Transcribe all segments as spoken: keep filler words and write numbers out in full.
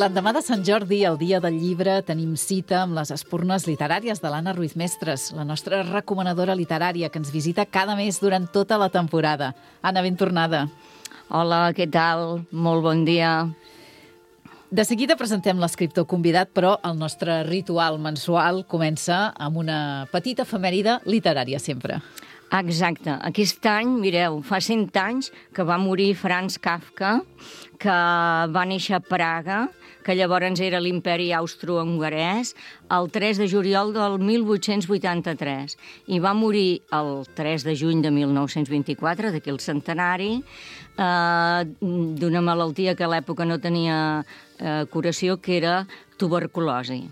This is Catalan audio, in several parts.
L'endemà de Sant Jordi, el dia del llibre, tenim cita amb les espurnes literàries de l'Anna Ruiz Mestres, la nostra recomanadora literària que ens visita cada mes durant tota la temporada. Anna, ben tornada. Hola, què tal? Molt bon dia. De seguida presentem l'escriptor convidat, però el nostre ritual mensual comença amb una petita efemèride literària sempre. Exacte. Aquest any, mireu, fa cent anys que va morir Franz Kafka, que va néixer a Praga, que llavors era l'imperi austro-hongarès, el tres de juliol del mil vuit-cents vuitanta-tres. I va morir el tres de juny de mil nou-cents vint-i-quatre, d'aquí el centenari, eh, d'una malaltia que a l'època no tenia eh, curació, que era tuberculosi.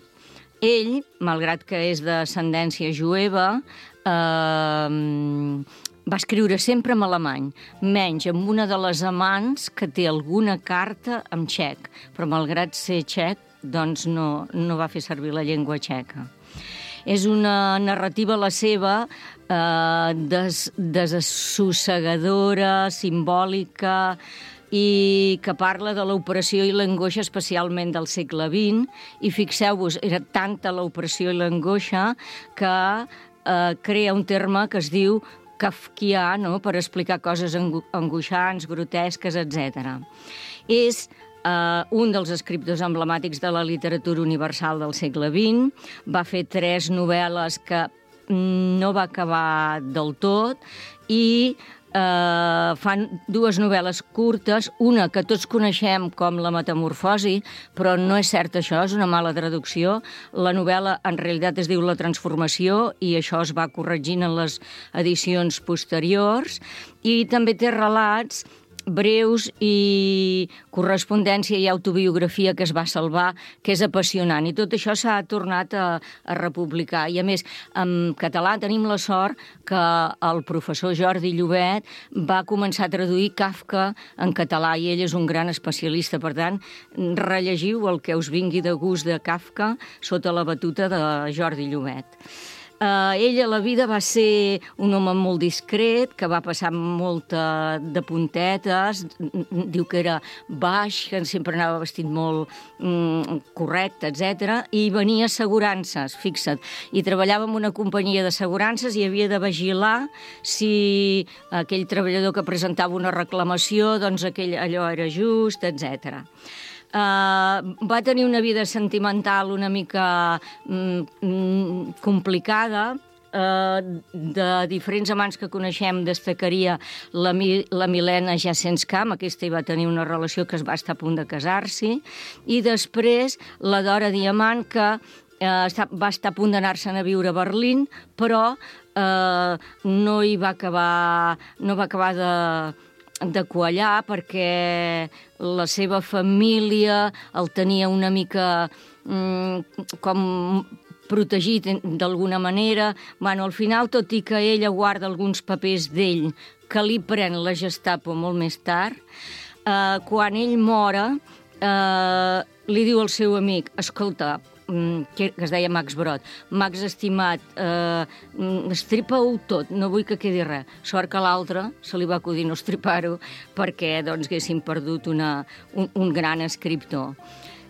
Ell, malgrat que és d'ascendència jueva, eh, va escriure sempre en alemany, menys amb una de les amants que té alguna carta en txec, però malgrat ser txec, doncs no, no va fer servir la llengua txeca. És una narrativa, la seva, eh, des, desassossegadora, simbòlica, i que parla de l'opressió i l'angoixa especialment del segle vint, i fixeu-vos, era tanta l'opressió i l'angoixa que eh, crea un terme que es diu kafkià, no?, per explicar coses angoixants, grotesques, etcètera. És eh, un dels escriptors emblemàtics de la literatura universal del segle vint, va fer tres novel·les que no va acabar del tot, i Uh, fan dues novel·les curtes, una que tots coneixem com La metamorfosi, però no és cert això, és una mala traducció. La novel·la en realitat es diu La transformació i això es va corregint en les edicions posteriors, i també té relats breus i correspondència i autobiografia que es va salvar, que és apassionant. I tot això s'ha tornat a, a republicar. I a més, en català tenim la sort que el professor Jordi Llobet va començar a traduir Kafka en català i ell és un gran especialista. Per tant, rellegiu el que us vingui de gust de Kafka sota la batuta de Jordi Llobet. Uh, ell a la vida va ser un home molt discret, que va passar molta de puntetes, diu que era baix, que sempre anava vestit molt mm, correcte, etcètera, i venia assegurances, fixa't, i treballava en una companyia d'assegurances i havia de vigilar si aquell treballador que presentava una reclamació, doncs aquell, allò era just, etcètera. Uh, va tenir una vida sentimental una mica mm, complicada. Uh, de diferents amants que coneixem destacaria la, la Milena Jasenskam, aquesta hi va tenir una relació que es va estar a punt de casar-s'hi, i després la Dora Diamant, que uh, va estar a punt d'anar-se'n a viure a Berlín, però uh, no hi va acabar, no va acabar de de quallar, perquè la seva família el tenia una mica mm, com protegit d'alguna manera. Bueno, al final, tot i que ella guarda alguns papers d'ell que li pren la Gestapo molt més tard, eh, quan ell mora, eh, li diu al seu amic, escolta, que es deia Max Brod, Max, estimat, eh, estripa-ho tot, no vull que quedi res. Sort que l'altre se li va acudir no estripar-ho perquè doncs, haguessin perdut una, un, un gran escriptor.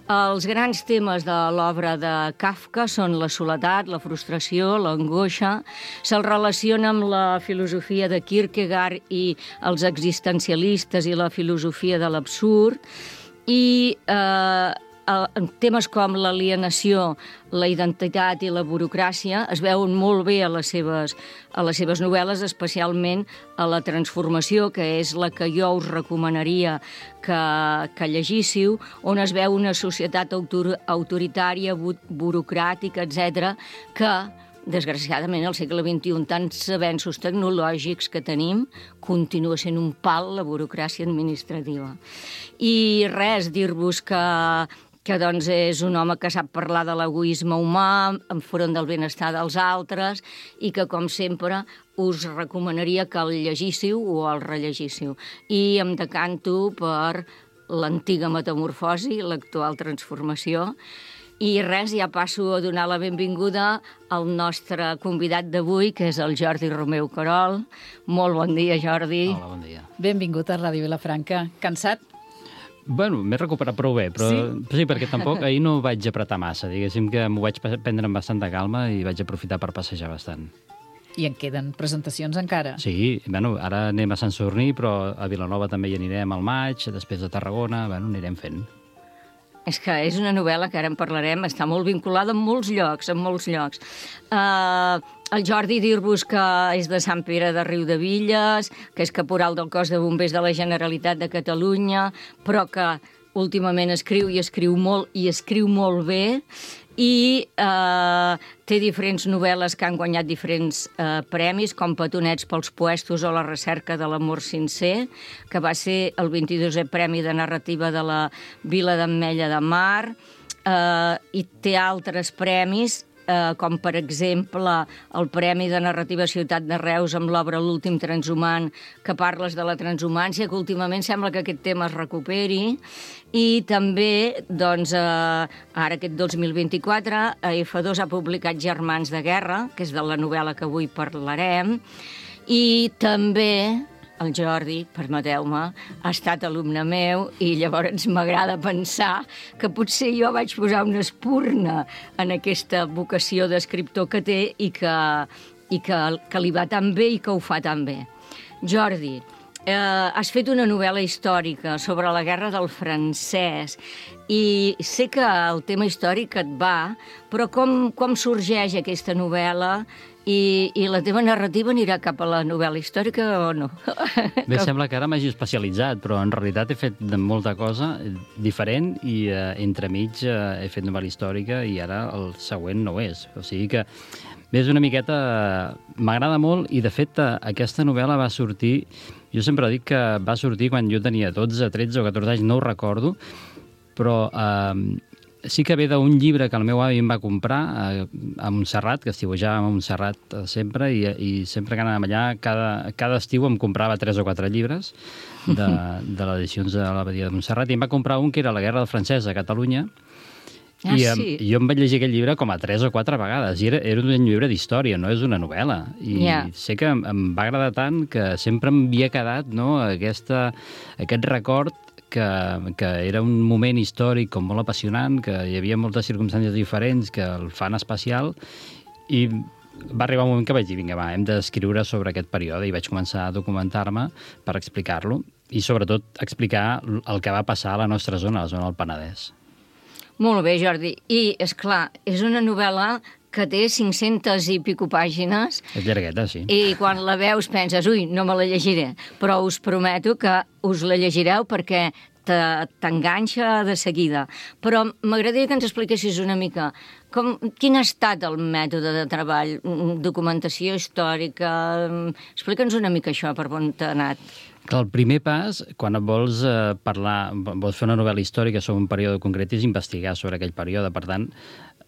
Els grans temes de l'obra de Kafka són la soledat, la frustració, l'angoixa. Se'l relaciona amb la filosofia de Kierkegaard i els existencialistes i la filosofia de l'absurd. I eh, temes com l'alienació, la identitat i la burocràcia es veuen molt bé a les seves, a les seves novel·les, especialment a La transformació, que és la que jo us recomanaria que, que llegíssiu, on es veu una societat autor, autoritària, bu, burocràtica, etcètera, que desgraciadament, al segle vint-i-u, tants avenços tecnològics que tenim, continua sent un pal la burocràcia administrativa. I res, dir-vos que que doncs és un home que sap parlar de l'egoisme humà, enfront del benestar dels altres, i que, com sempre, us recomanaria que el llegíssiu o el rellegíssiu. I em decanto per l'antiga metamorfosi, l'actual transformació. I res, ja passo a donar la benvinguda al nostre convidat d'avui, que és el Jordi Romeu Querol. Molt bon dia, Jordi. Hola, bon dia. Benvingut a Ràdio Vilafranca. Cansat? Bueno, m'he recuperat prou bé, però sí, sí perquè tampoc ahir no vaig apretar massa. Diguéssim que m'ho vaig prendre amb bastanta calma i vaig aprofitar per passejar bastant. I en queden presentacions encara? Sí, bueno, ara anem a Sant Sadurní, però a Vilanova també hi anirem al maig, després a Tarragona, bueno, anirem fent. És que és una novel·la que ara en parlarem, està molt vinculada en molts llocs, en molts llocs. Uh, el Jordi, dir-vos que és de Sant Pere de Riudebitlles, que és caporal del cos de bombers de la Generalitat de Catalunya, però que últimament escriu i escriu molt, i escriu molt bé, i eh, té diferents novel·les que han guanyat diferents eh, premis, com Petonets pels puestos o La recerca de l'amor sincer, que va ser el vint-i-dosè Premi de Narrativa de la Vila d'Ametlla de Mar, eh, i té altres premis, eh, com per exemple el Premi de Narrativa Ciutat de Reus amb l'obra L'últim transhumant, que parles de la transhumància, que últimament sembla que aquest tema es recuperi, i també, doncs, eh, ara aquest dos mil vint-i-quatre, a F dos ha publicat Germans de guerra, que és de la novel·la que avui parlarem, i també el Jordi, permeteu-me, ha estat alumne meu i llavors m'agrada pensar que potser jo vaig posar una espurna en aquesta vocació d'escriptor que té i que, i que, que li va tan bé i que ho fa tan bé. Jordi, eh, has fet una novel·la històrica sobre la guerra del francès i sé que el tema històric et va, però com, com sorgeix aquesta novel·la? I, i la teva narrativa anirà cap a la novel·la històrica o no? Bé, sembla que ara m'hagi especialitzat, però en realitat he fet molta cosa diferent i eh, entremig eh, he fet novel·la històrica i ara el següent no ho és. O sigui que, bé, és una miqueta... M'agrada molt i, de fet, aquesta novel·la va sortir... Jo sempre dic que va sortir quan jo tenia dotze, tretze o catorze anys, no ho recordo, però... Eh, sí que ve d'un llibre que el meu avi em va comprar a, a Montserrat, que estiuejàvem a Montserrat sempre, i, i sempre que anàvem allà, cada, cada estiu em comprava tres o quatre llibres de, de les edicions de l'Abadia de Montserrat, i em va comprar un que era La guerra del francès a Catalunya, ah, i sí? jo em vaig llegir aquest llibre com a tres o quatre vegades, i era, era un llibre d'història, no és una novel·la, i yeah. sé que em, em va agradar tant que sempre m'havia quedat, no, aquesta, aquest record Que, que era un moment històric com molt apassionant, que hi havia moltes circumstàncies diferents que el fan especial, i va arribar un moment que vaig dir, vinga, va, hem d'escriure sobre aquest període, i vaig començar a documentar-me per explicar-lo, i sobretot explicar el que va passar a la nostra zona, a la zona del Penedès. Molt bé, Jordi. I, és clar, és una novel·la que té cinc-centes i pico pàgines. És llargueta, sí. I quan la veus penses, ui, no me la llegiré. Però us prometo que us la llegireu perquè t'enganxa de seguida. Però m'agradaria que ens expliquessis una mica com, quin ha estat el mètode de treball, documentació històrica... Explica'ns una mica això, per on t'ha anat. El primer pas, quan vols eh, parlar, vols fer una novel·la històrica sobre un període concret, és investigar sobre aquell període. Per tant,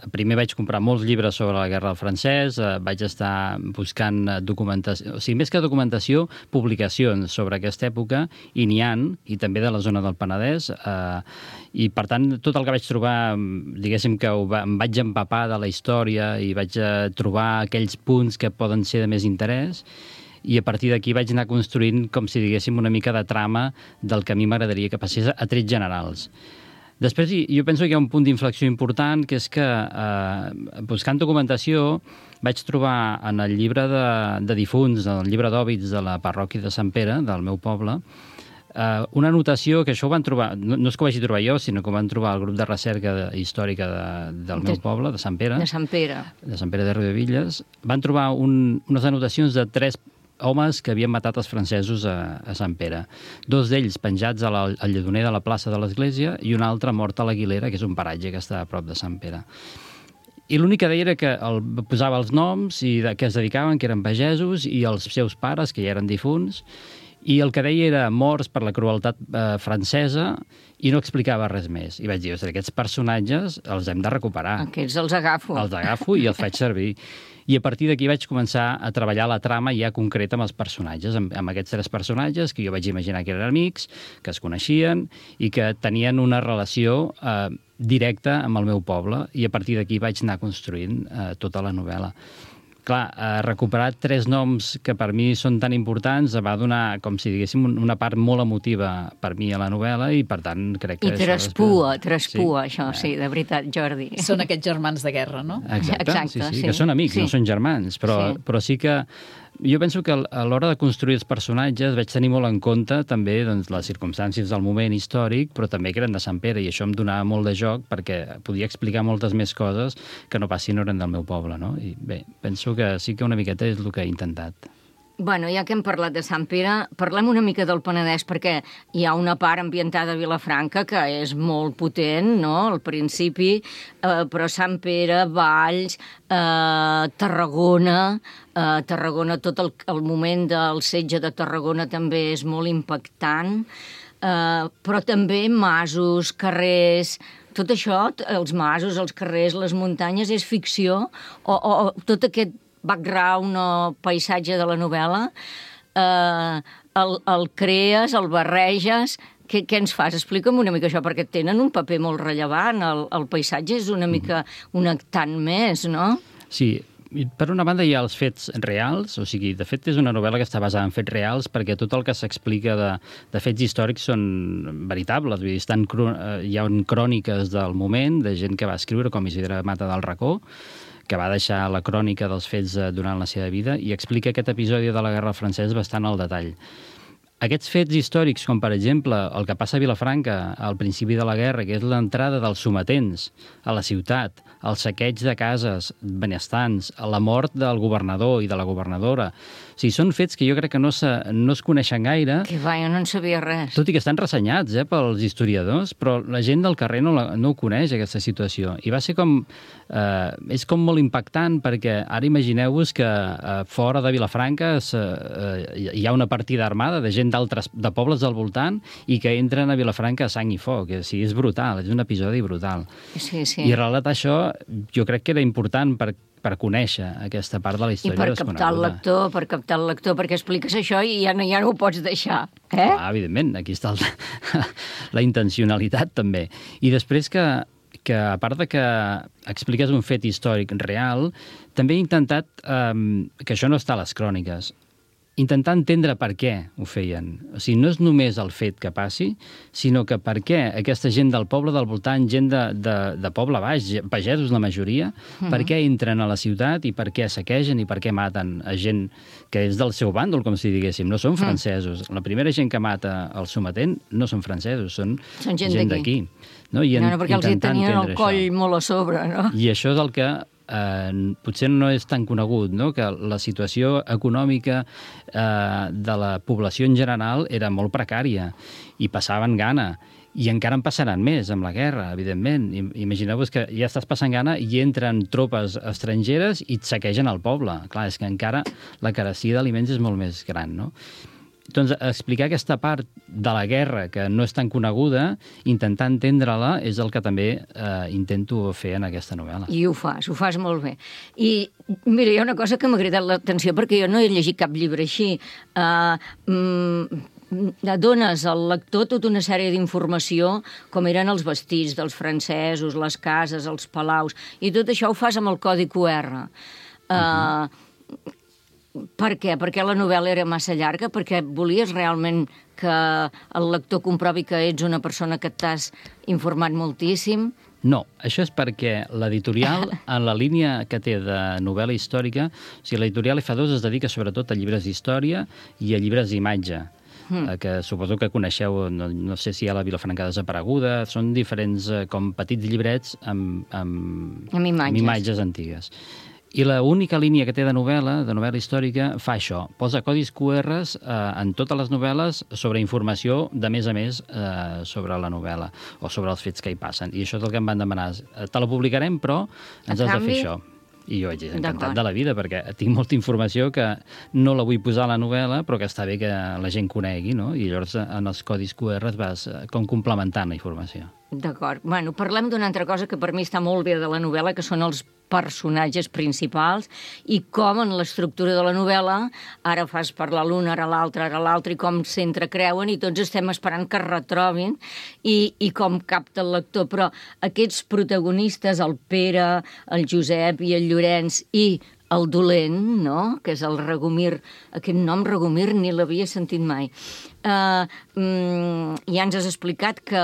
primer vaig comprar molts llibres sobre la guerra del francès, eh, vaig estar buscant documentació, o sigui, més que documentació, publicacions sobre aquesta època, i n'hi ha, i també de la zona del Penedès, eh, i per tant, tot el que vaig trobar, diguéssim que ho va, em vaig empapar de la història i vaig eh, trobar aquells punts que poden ser de més interès, i a partir d'aquí vaig anar construint, com si diguéssim, una mica de trama del que a mi m'agradaria que passés a trets generals. Després, jo penso que hi ha un punt d'inflexió important, que és que, eh, buscant documentació, vaig trobar en el llibre de, de difunts, el llibre d'òbits de la parròquia de Sant Pere, del meu poble, eh, una anotació que això ho van trobar, no, no és que ho vagi trobar jo, sinó que ho van trobar el grup de recerca de, històrica de, del meu de, poble, de Sant Pere. De Sant Pere. De Sant Pere de Riudebitlles. Van trobar un, unes anotacions de tres homes que havien matat els francesos a, a Sant Pere. Dos d'ells penjats a la, al lledoner de la plaça de l'església i un altre mort a l'Aguilera, que és un paratge que està a prop de Sant Pere. I l'únic que deia era que el, posava els noms i de què es dedicaven, que eren pagesos, i els seus pares, que ja eren difunts, i el que deia era morts per la crueltat eh, francesa, i no explicava res més. I vaig dir, aquests personatges els hem de recuperar. Aquests els agafo. Els agafo i els faig servir. I a partir d'aquí vaig començar a treballar la trama ja concreta amb els personatges, amb, amb aquests tres personatges que jo vaig imaginar que eren amics, que es coneixien i que tenien una relació eh, directa amb el meu poble, i a partir d'aquí vaig anar construint eh, tota la novel·la. clar, eh, recuperar tres noms que per mi són tan importants va donar, com si diguéssim, una part molt emotiva per mi a la novel·la i, per tant, crec que... I traspua, després... traspua, sí? Això, eh. sí, de veritat, Jordi. Són aquests germans de guerra, no? Exacte, Exacte sí, sí, sí. que són amics, sí. no són germans, però, Sí. però sí que jo penso que a l'hora de construir els personatges vaig tenir molt en compte també doncs, les circumstàncies del moment històric, però també que eren de Sant Pere, i això em donava molt de joc perquè podia explicar moltes més coses que no pas si no eren del meu poble, no? I bé, penso que sí que una miqueta és el que he intentat. Bueno, ja que hem parlat de Sant Pere, parlem una mica del Penedès, perquè hi ha una part ambientada a Vilafranca que és molt potent, no?, al principi, eh, però Sant Pere, Valls, eh, Tarragona, eh, Tarragona, tot el, el moment del setge de Tarragona també és molt impactant, eh, però també masos, carrers... Tot això, els masos, els carrers, les muntanyes, és ficció, o, o, o tot aquest background o paisatge de la novel·la, eh, el, el crees, el barreges... Què, què ens fas? Explica'm una mica això, perquè tenen un paper molt rellevant. El, el paisatge és una mica un actant més, no? Sí, per una banda hi ha els fets reals, o sigui, de fet és una novel·la que està basada en fets reals perquè tot el que s'explica de, de fets històrics són veritables, vull dir, estan, hi ha cròniques del moment, de gent que va escriure, com Isidre Mata del Racó, que va deixar la crònica dels fets durant la seva vida i explica aquest episodi de la Guerra Francesa bastant al detall. Aquests fets històrics, com per exemple el que passa a Vilafranca al principi de la guerra, que és l'entrada dels sometents a la ciutat, el saqueig de cases benestants, la mort del governador i de la governadora... O sigui, són fets que jo crec que no, se, no es coneixen gaire. Que va, jo no en sabia res. Tot i que estan ressenyats eh, pels historiadors, però la gent del carrer no, la, no ho coneix, aquesta situació. I va ser com... Eh, és com molt impactant, perquè ara imagineu-vos que eh, fora de Vilafranca eh, hi ha una partida armada de gent d'altres de pobles del voltant i que entren a Vilafranca a sang i foc. O sigui, és brutal, és un episodi brutal. Sí, sí. I relatar això jo crec que era important per, per conèixer aquesta part de la història desconeguda. I per desconeguda. captar el lector, per captar el lector, perquè expliques això i ja no, ja no ho pots deixar. Eh? Ah, evidentment, aquí està el, la intencionalitat també. I després que, que, a part de que expliques un fet històric real, també he intentat, eh, que això no està a les cròniques, intentar entendre per què ho feien. O sigui, no és només el fet que passi, sinó que per què aquesta gent del poble del voltant, gent de, de, de poble baix, pagesos la majoria, mm-hmm. per què entren a la ciutat i per què saquegen i per què maten a gent que és del seu bàndol, com si diguéssim. No són francesos. Mm. La primera gent que mata el sometent no són francesos, són, són gent, gent d'aquí. No, I no, no, perquè els hi tenien el coll això. molt a sobre, no? I això és el que Eh, potser no és tan conegut, no? Que la situació econòmica eh, de la població en general era molt precària i passaven gana. I encara en passaran més amb la guerra, evidentment. Imagineu-vos que ja estàs passant gana i entren tropes estrangeres i et saquegen el poble. Clar, és que encara la carestia d'aliments és molt més gran, no? Doncs explicar aquesta part de la guerra que no és tan coneguda, intentar entendre-la, és el que també eh, intento fer en aquesta novel·la. I ho fas, ho fas molt bé. I mira, hi ha una cosa que m'ha cridat l'atenció, perquè jo no he llegit cap llibre així. Uh, mm, dones al lector tota una sèrie d'informació, com eren els vestits dels francesos, les cases, els palaus, i tot això ho fas amb el codi Q R. Uh, uh-huh. Per què? Perquè la novel·la era massa llarga? Perquè volies realment que el lector comprovi que ets una persona que t'has informat moltíssim? No, això és perquè l'editorial, en la línia que té de novel·la històrica, o sigui, l'editorial F dos es dedica sobretot a llibres d'història i a llibres d'imatge, mm. que suposo que coneixeu, no, no sé si hi ha la Vilafranca desapareguda, són diferents com petits llibrets amb, amb, amb, imatges. amb imatges antigues. I l'única línia que té de novel·la, de novel·la històrica, fa això. Posa codis Q Rs eh, en totes les novel·les sobre informació de més a més eh, sobre la novel·la o sobre els fets que hi passen. I això és el que em van demanar. Te la publicarem, però ens has de fer això. I jo vaig dir, encantat de la vida, perquè tinc molta informació que no la vull posar a la novel·la, però que està bé que la gent conegui, no? I llavors en els codis Q Rs vas com complementant la informació. D'acord. Bueno, parlem d'una altra cosa que per mi està molt bé de la novel·la, que són els personatges principals i com en l'estructura de la novel·la ara fas parlar l'un, ara l'altre, ara l'altre, i com s'entrecreuen i tots estem esperant que es retrobin i, i com capta el lector. Però aquests protagonistes, el Pere, el Josep i el Llorenç i el dolent, no?, que és el Regomir. Aquest nom, Regomir, ni l'havia sentit mai. Uh, um, ja ens has explicat que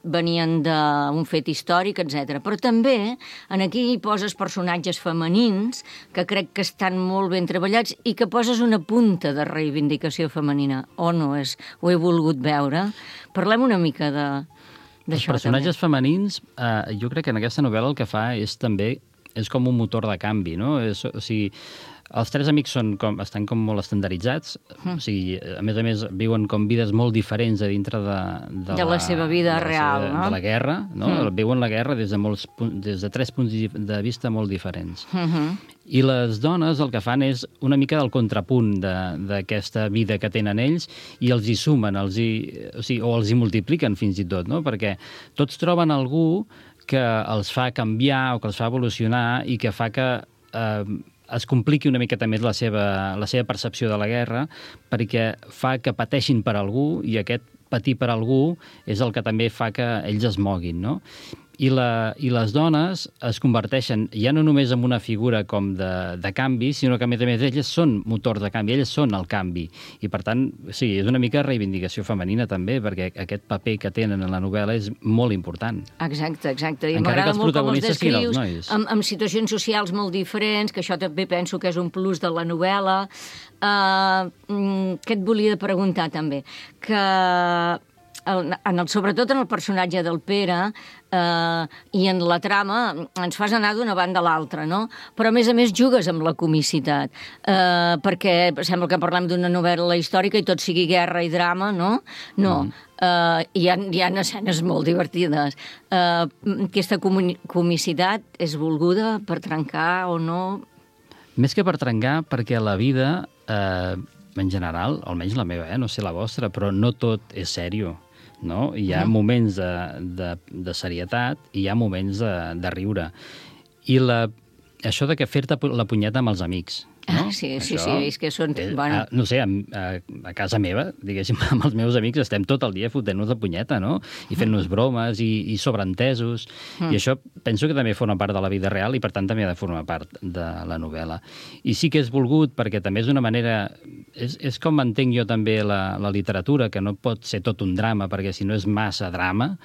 venien d'un fet històric, etcètera. Però també en aquí hi poses personatges femenins que crec que estan molt ben treballats i que poses una punta de reivindicació femenina. O no, és, ho he volgut veure. Parlem una mica de d'això. Els personatges també. femenins, eh, jo crec que en aquesta novel·la el que fa és també és com un motor de canvi, no? És, o sigui, els tres amics són com, estan com molt estandarditzats, mm. o sigui, a més a més viuen com vides molt diferents a dintre de, de, de la, la seva vida de real, la seva, no? De la guerra, no? Mm. Viuen la guerra des de, molts, des de tres punts de vista molt diferents. Mm-hmm. I les dones el que fan és una mica del contrapunt d'aquesta de, vida que tenen ells i els hi sumen, els hi, o, sigui, o els hi multipliquen fins i tot, no? Perquè tots troben algú que els fa canviar o que els fa evolucionar i que fa que eh, es compliqui una miqueta més la seva, la seva percepció de la guerra, perquè fa que pateixin per algú i aquest patir per algú és el que també fa que ells es moguin, no? I, la, i les dones es converteixen ja no només en una figura com de, de canvi, sinó que a més a més elles són motors de canvi, elles són el canvi. I per tant, sí, és una mica reivindicació femenina també, perquè aquest paper que tenen en la novel·la és molt important. Exacte, exacte. I encara que els protagonistes siguin els nois. Amb, amb situacions socials molt diferents, que això també penso que és un plus de la novel·la. Uh, què et volia preguntar també? Que el, en el, sobretot en el personatge del Pere eh, i en la trama ens fas anar d'una banda a l'altra, no? Però a més a més jugues amb la comicitat, eh, perquè sembla que parlem d'una novel·la històrica i tot sigui guerra i drama, no? No, mm. eh, hi, ha, hi ha escenes molt divertides. Eh, aquesta comicitat és volguda per trencar o no? Més que per trencar, perquè la vida, eh, en general, almenys la meva, eh, no sé la vostra, però no tot és sèrio. No? Hi ha mm. moments de, de, de serietat i hi ha moments de, de riure. I la, això de que fer-te la punyeta amb els amics. No? Ah, sí, sí, això, sí, és que són... És, bueno. a, no sé, a, a, a casa meva, diguéssim, amb els meus amics estem tot el dia fotent-nos de punyeta, no? I fent-nos bromes i, i sobreentesos. Mm. I això penso que també forma part de la vida real i, per tant, també ha de formar part de la novel·la. I sí que és volgut perquè també és una manera... És, és com entenc jo també la, la literatura, que no pot ser tot un drama, perquè si no és massa drama,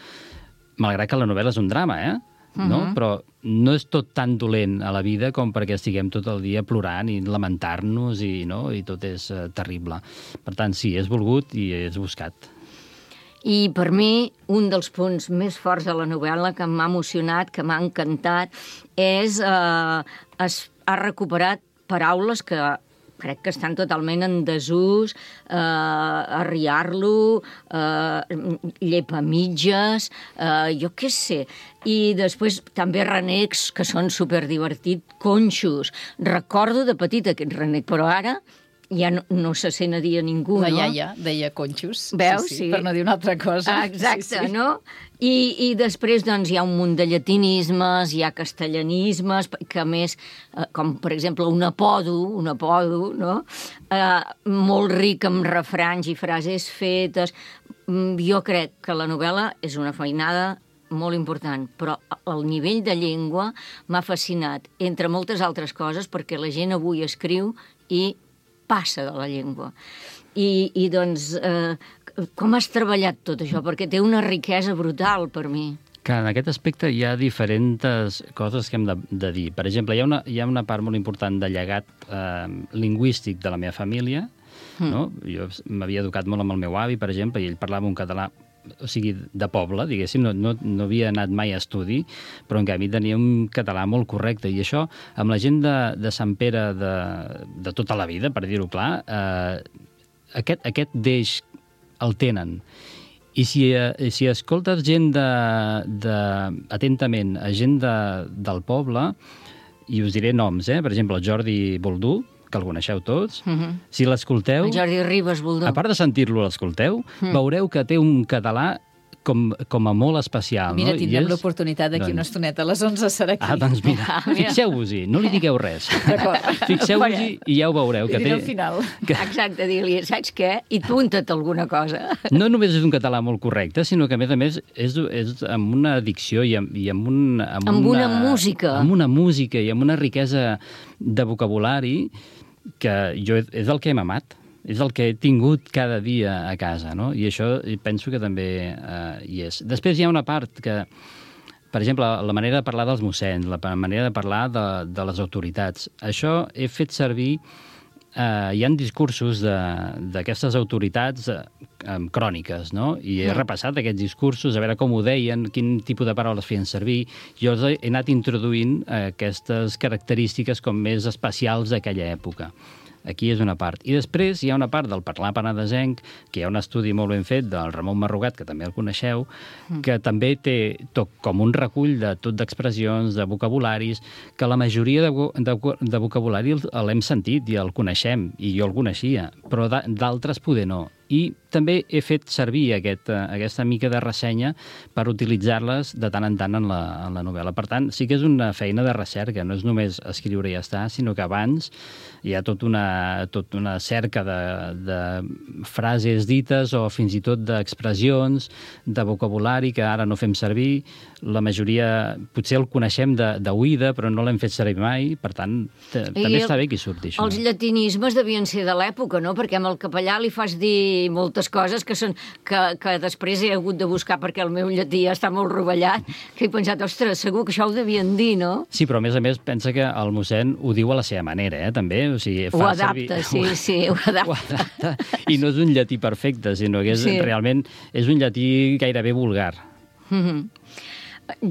malgrat que la novel·la és un drama, eh? No? Uh-huh. Però no és tot tan dolent a la vida com perquè estiguem tot el dia plorant i lamentar-nos i, no? I tot és uh, terrible. Per tant, sí, és volgut i és buscat. I per mi, un dels punts més forts de la novel·la que m'ha emocionat, que m'ha encantat, és eh, es, ha recuperat paraules que crec que estan totalment en desús, eh, arriar-lo, eh, llepa mitges, eh, jo què sé. I després també renecs que són superdivertits, conxos. Recordo de petit aquest renec, però ara ja no, no se sent a dir a ningú, la no? La iaia deia conxos, veus? Sí, sí, sí. Per no dir una altra cosa. Ah, exacte, sí, sí. No? I, I després doncs, hi ha un munt de llatinismes, hi ha castellanismes, que a més, eh, com per exemple un apodo, un apodo, no? Eh, molt ric amb refranys i frases fetes. Jo crec que la novel·la és una feinada molt important, però el nivell de llengua m'ha fascinat, entre moltes altres coses, perquè la gent avui escriu i passa de la llengua. I, i doncs, eh, com has treballat tot això? Perquè té una riquesa brutal per mi. Que en aquest aspecte hi ha diferents coses que hem de, de dir. Per exemple, hi ha, una, hi ha una part molt important de llegat eh, lingüístic de la meva família. Mm. No? Jo m'havia educat molt amb el meu avi, per exemple, i ell parlava un català, o sigui, de poble, diguéssim, no, no, no havia anat mai a estudi, però en canvi tenia un català molt correcte, i això, amb la gent de, de Sant Pere de, de tota la vida, per dir-ho clar, eh, aquest, aquest deix el tenen. I si, eh, si escoltes gent de, de, atentament, a gent de, del poble, i us diré noms, eh? Per exemple, el Jordi Boldú, que el coneixeu tots, uh-huh. Si l'escolteu... El Jordi Ribas Boldú. A part de sentir-lo, l'escolteu, uh-huh. Veureu que té un català com, com a molt especial. Mira, no? tindrem és... l'oportunitat d'aquí doncs... una estoneta. A les onze serà aquí. Ah, doncs mira, Ah, mira. fixeu-vos-hi, no li digueu res. D'acord. Fixeu-vos-hi i ja ho veureu. Li Que diré té... al final. Que... Exacte, dir-li, saps què? I apunta't alguna cosa. No només és un català molt correcte, sinó que, a més a més, és, és amb una dicció i amb, i amb, un, amb, Amb una, una música. Amb una música i amb una riquesa de vocabulari que jo és el que hem amat. És el que he tingut cada dia a casa, no? I això penso que també eh, hi és. Després hi ha una part que, per exemple, la manera de parlar dels mossens, la manera de parlar de, de les autoritats. Això he fet servir... Eh, hi ha discursos d'aquestes autoritats eh, amb cròniques, no? I he repassat aquests discursos, a veure com ho deien, quin tipus de paraules feien servir. Jo he anat introduint eh, aquestes característiques com més especials d'aquella època. Aquí és una part. I després hi ha una part del parlar penedesenc, que hi ha un estudi molt ben fet del Ramon Marrugat, que també el coneixeu, que també té tot com un recull de tot d'expressions, de vocabularis, que la majoria de, de, de vocabulari l'hem sentit i el coneixem, i jo el coneixia, però d'altres poder no. I també he fet servir aquest, aquesta mica de ressenya per utilitzar-les de tant en tant en la, en la novel·la. Per tant, sí que és una feina de recerca, no és només escriure i ja està, sinó que abans hi ha tot una, tot una cerca de, de frases dites o fins i tot d'expressions, de vocabulari que ara no fem servir. La majoria potser el coneixem d'oïda, però no l'hem fet servir mai, per tant, també el, està bé que hi surti això. Els llatinismes devien ser de l'època, no? Perquè amb el capellà li fas dir moltes coses que, són, que, que després he hagut de buscar perquè el meu llatí està molt rovellat, que he pensat, ostres, segur que això ho devien dir, no? Sí, però a més a més pensa que el mossèn ho diu a la seva manera, eh, també. O sigui, fa ho adapta, servir... sí, sí, ho adapta. ho adapta. I no és un llatí perfecte, sinó que és, sí. realment és un llatí gairebé vulgar. Mm-hmm.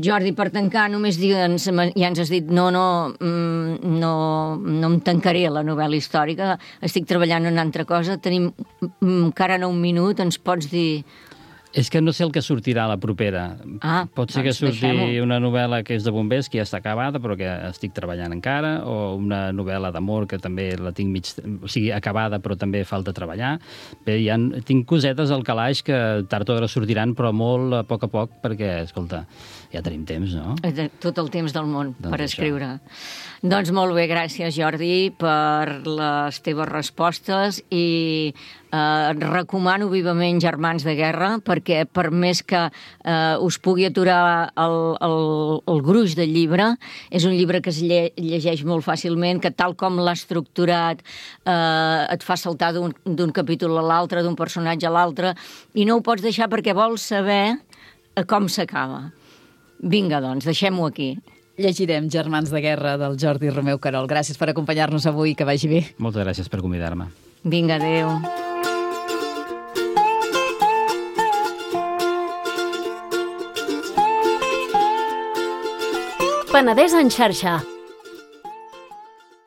Jordi, per tancar, només digue'ns, ja ens has dit, no, no, no, no em tancaré la novel·la històrica, estic treballant en una altra cosa, tenim encara no un minut, ens pots dir... És que no sé el que sortirà a la propera. Ah, Pot ser doncs que surti deixem-ho. una novel·la que és de bombers, que ja està acabada, però que estic treballant encara, o una novel·la d'amor, que també la tinc mig... O sigui, acabada, però també falta treballar. Bé, ja tinc cosetes al calaix que tard o d'hora sortiran, però molt a poc a poc, perquè, escolta, ja tenim temps, no? Tot el temps del món doncs per això. escriure. Doncs molt bé, gràcies, Jordi, per les teves respostes i eh, recomano vivament Germans de Guerra, perquè per més que eh, us pugui aturar el, el, el gruix del llibre, és un llibre que es lle llegeix molt fàcilment, que tal com l'ha estructurat eh, et fa saltar d'un capítol a l'altre, d'un personatge a l'altre, i no ho pots deixar perquè vols saber com s'acaba. Vinga, doncs, deixem-ho aquí. Llegirem Germans de Guerra del Jordi Romeu Querol. Gràcies per acompanyar-nos avui, que vagi bé. Moltes gràcies per convidar-me. Vinga, adéu. Penedès en xarxa,